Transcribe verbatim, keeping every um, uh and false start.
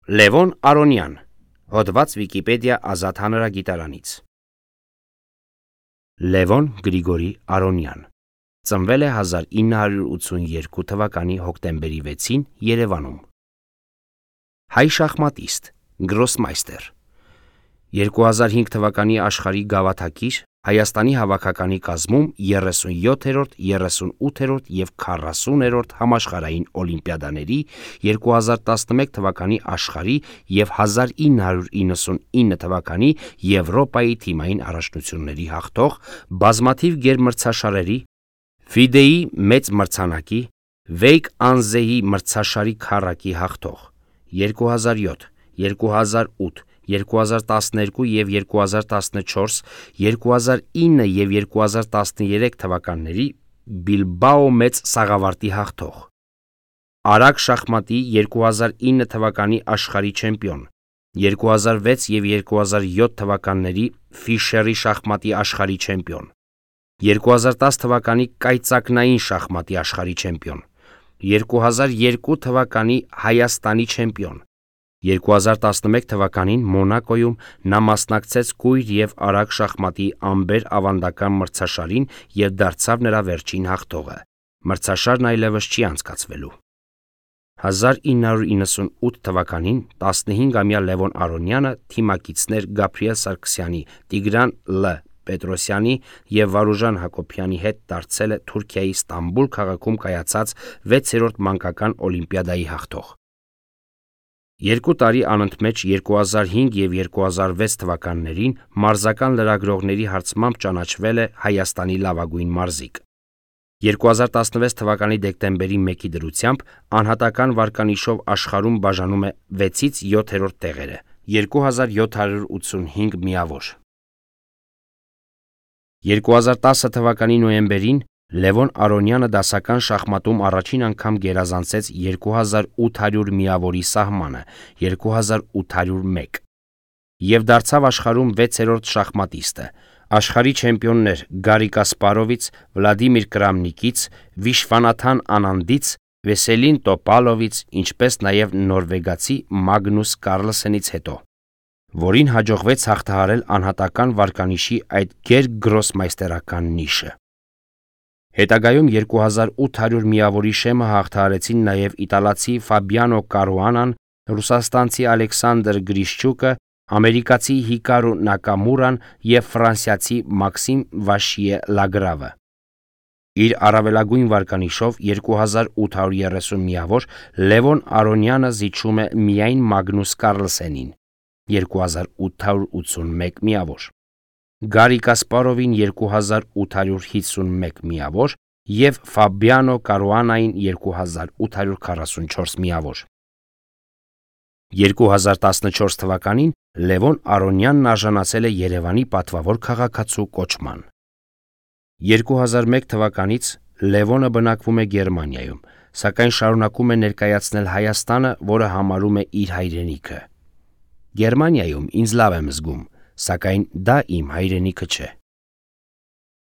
Լևոն Արոնյան, հոդված Վիկիպեդիա ազատ հանրագիտարանից։ Լևոն Գրիգորի Արոնյան ծնվել է հազար ինը հարյուր ութսունյոթ թվականի հոկտեմբերի վեցին Երևանում։ Հայ շախմատիստ, գրոսմայստեր, երկու հազար հինգ թվականի աշխարհի գավաթակիր, Հայաստանի հավաքականի կազմում երեսունյոթերորդ, երեսունութերորդ և քառասուներորդ համաշխարհային օլիմպիադաների, երկու հազար տասնմեկ թվականի աշխարհի և հազար ինը հարյուր իննսունինը թվականի Եվրոպայի թիմային առաջնությունների հաղթող, բազմաթիվ գերմրցաշարերի, ֆիդեի մեծ մրցանակի, Վեյկ Անզեի մրցաշարի քառակի հաղթող, երկու հազար յոթ, երկու հազար ութ, երկու հազար տասներկու և երկու հազար տասնչորս, երկու հազար ինը և երկու հազար տասներեք թվականների Բիլբաո մեծ սաղավարտի հաղթող, արագ շախմատի երկու հազար ինը թվականի աշխարհի չեմպիոն, երկու հազար վեց և երկու հազար յոթ թվականների Ֆիշերի շախմատի աշխարհի չեմպիոն, երկու հազար տաս թվականի կայծակնային շախմատի աշխարհի չեմպիոն, երկու հազար երկու թվականի Հայաստանի չեմպիոն, երկու հազար տասնմեկ թվականին Մոնակոյում նա մասնակցեց կույր և արագ շախմատի ամբեր ավանդական մրցաշարին և դարձավ նրա վերջին հաղթողը, մրցաշարն այլևս չի անցկացվելու։ հազար ինը հարյուր իննսունութ թվականին տասնհինգամյա Լևոն Արոնյանը թիմակիցներ Գաբրիել Սարգսյանի, Տիգրան Լ. Պետրոսյանի և Վարուժան Հակոբյանի հետ դարձել է Թուրքիայի Ստամբուլ քաղաքում կայացած վեցերորդ մանկական օլիմպիադայի հաղթող։ Երկու տարի անընդմեջ երկու հազար հինգ և երկու հազար վեց թվականներին մարզական լրագրողների հարցմամբ ճանաչվել է Հայաստանի լավագույն մարզիկ։ երկու հազար տասնվեց թվականի դեկտեմբերի մեկի դրությամբ անհատական վարկանիշով աշխարհում բաժանում է վեցից յոթերորդ տեղերը, երկու հազար յոթ հարյուր ութսունհինգ միավոր։ երկու հազար տասը թվականի նոյեմբերին Լևոն Արոնյանը դասական շախմատում առաջին անգամ գերազանցեց երկու հազար ութ հարյուր միավորի սահմանը երկու հազար ութ հարյուր մեկ և դարձավ աշխարհում վեցերորդ շախմատիստը, աշխարհի չեմպիոններ Գարի Կասպարովից, Վլադիմիր Կրամնիկից, Վիշվանաթան Անանդից, Վեսելին Տոպալովից, ինչպես նաև նորվեգացի Մագնուս Կարլսենից հետո, որին հաջողվեց հաղթահարել անհատական վարկանիշի այդ գերգրոսմայստերական նիշը։ Հետագայում երկու հազար ութ հարյուր միավորի շեմը հաղթահարեցին նաև իտալացի Ֆաբիանո Կարուանան, ռուսաստանցի Ալեքսանդր Գրիշչուկը, ամերիկացի Հիկարու Նակամուրան և ֆրանսիացի Մաքսիմ Վաշիե Լագրավը։ Իր առավելագույն վարկանիշով երկու հազար ութ հարյուր երեսուն միավոր Լևոն Արոնյանը զիջում է միայն Մագնուս Կարլսենին երկու հազար ութ հարյուր ութսունմեկ միավոր, Գարի Կասպարովին երկու հազար ութ հարյուր հիսունմեկ միավոր և Ֆաբիանո Կարուանային երկու հազար ութ հարյուր քառասունչորս միավոր։ երկու հազար տասնչորս թվականին Լևոն Արոնյանն արժանացել է Երևանի պատվավոր քաղաքացու կոչման։ երկու հազար մեկ թվականից Լևոնը բնակվում է Գերմանիայում, սակայն շարունակում է ներկայացնել Հայաստանը, որը համարում է իր հայրենիքը։ Գերմանիայում ինձ լավ եմ զգում, սակայն դա իմ հայրենիքը չէ։